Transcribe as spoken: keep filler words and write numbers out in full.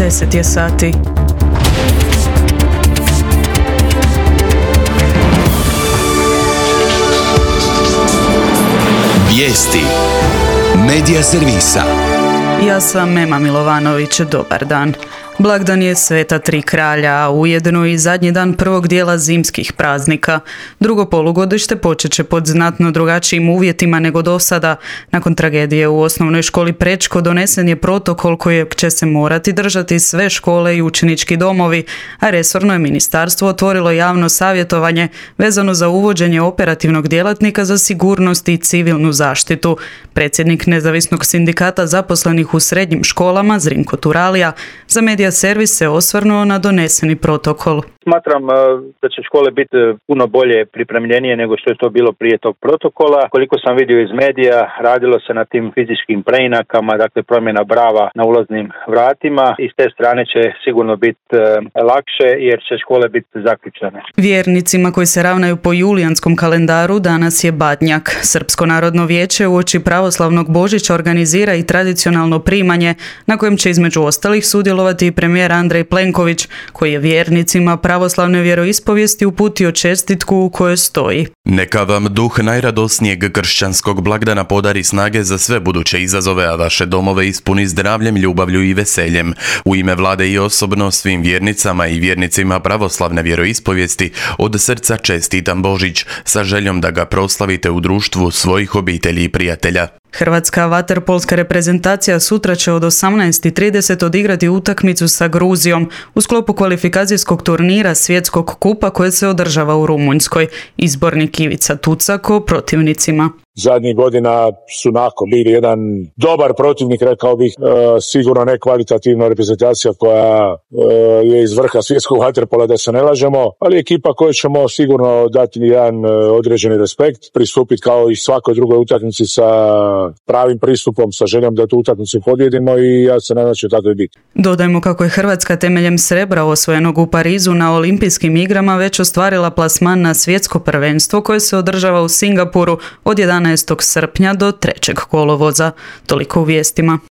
deset je sati. Vijesti Medija servisa. Ja sam Mema Milovanović, dobar dan. Blagdan je Sveta tri kralja, a ujedno i zadnji dan prvog dijela zimskih praznika. Drugo polugodište počet će pod znatno drugačijim uvjetima nego do sada. Nakon tragedije u osnovnoj školi Prečko donesen je protokol kojeg će se morati držati sve škole i učenički domovi, a resorno je ministarstvo otvorilo javno savjetovanje vezano za uvođenje operativnog djelatnika za sigurnost i civilnu zaštitu. Predsjednik Nezavisnog sindikata zaposlenih u srednjim školama, Zrinko Turalija, za Medija servis se osvrnuo na doneseni protokol. Smatram da će škole biti puno bolje pripremljenije nego što je to bilo prije tog protokola. Koliko sam vidio iz medija, radilo se na tim fizičkim preinakama, dakle promjena brava na ulaznim vratima i s te strane će sigurno biti lakše jer će škole biti zaključane. Vjernicima koji se ravnaju po julijanskom kalendaru danas je Badnjak. Srpsko narodno vijeće uoči pravoslavnog Božića organizira i tradicionalno primanje na kojem će između ostalih sudjelovati i premijer Andrej Plenković, koji je vjernicima pravoslavne vjeroispovijesti uputio čestitku u kojoj stoji: Neka vam duh najradosnijeg kršćanskog blagdana podari snage za sve buduće izazove, a vaše domove ispuni zdravljem, ljubavlju i veseljem. U ime vlade i osobno svim vjernicama i vjernicima pravoslavne vjeroispovijesti od srca čestitam Božić sa željom da ga proslavite u društvu svojih obitelji i prijatelja. Hrvatska vaterpolska reprezentacija sutra će od osamnaest i trideset odigrati utakmicu sa Gruzijom u sklopu kvalifikacijskog turnira Svjetskog kupa koje se održava u Rumunjskoj. Izbornik Ivica Tucak o protivnicima. Zadnjih godina su onako bili jedan dobar protivnik, rekao bih, e, sigurno ne kvalitativna reprezentacija koja e, je iz vrha svjetskog vaterpola, da se ne lažemo, ali ekipa koju ćemo sigurno dati jedan e, određeni respekt, pristupiti kao i svakoj drugoj utakmici sa pravim pristupom, sa željom da tu utakmicu pobjedimo i ja se nadam da će tako i biti. Dodajmo kako je Hrvatska temeljem srebra osvojenog u Parizu na olimpijskim igrama već ostvarila plasman na svjetsko prvenstvo koje se održava u Singapuru od jedanaestog srpnja do trećeg kolovoza. Toliko u vijestima.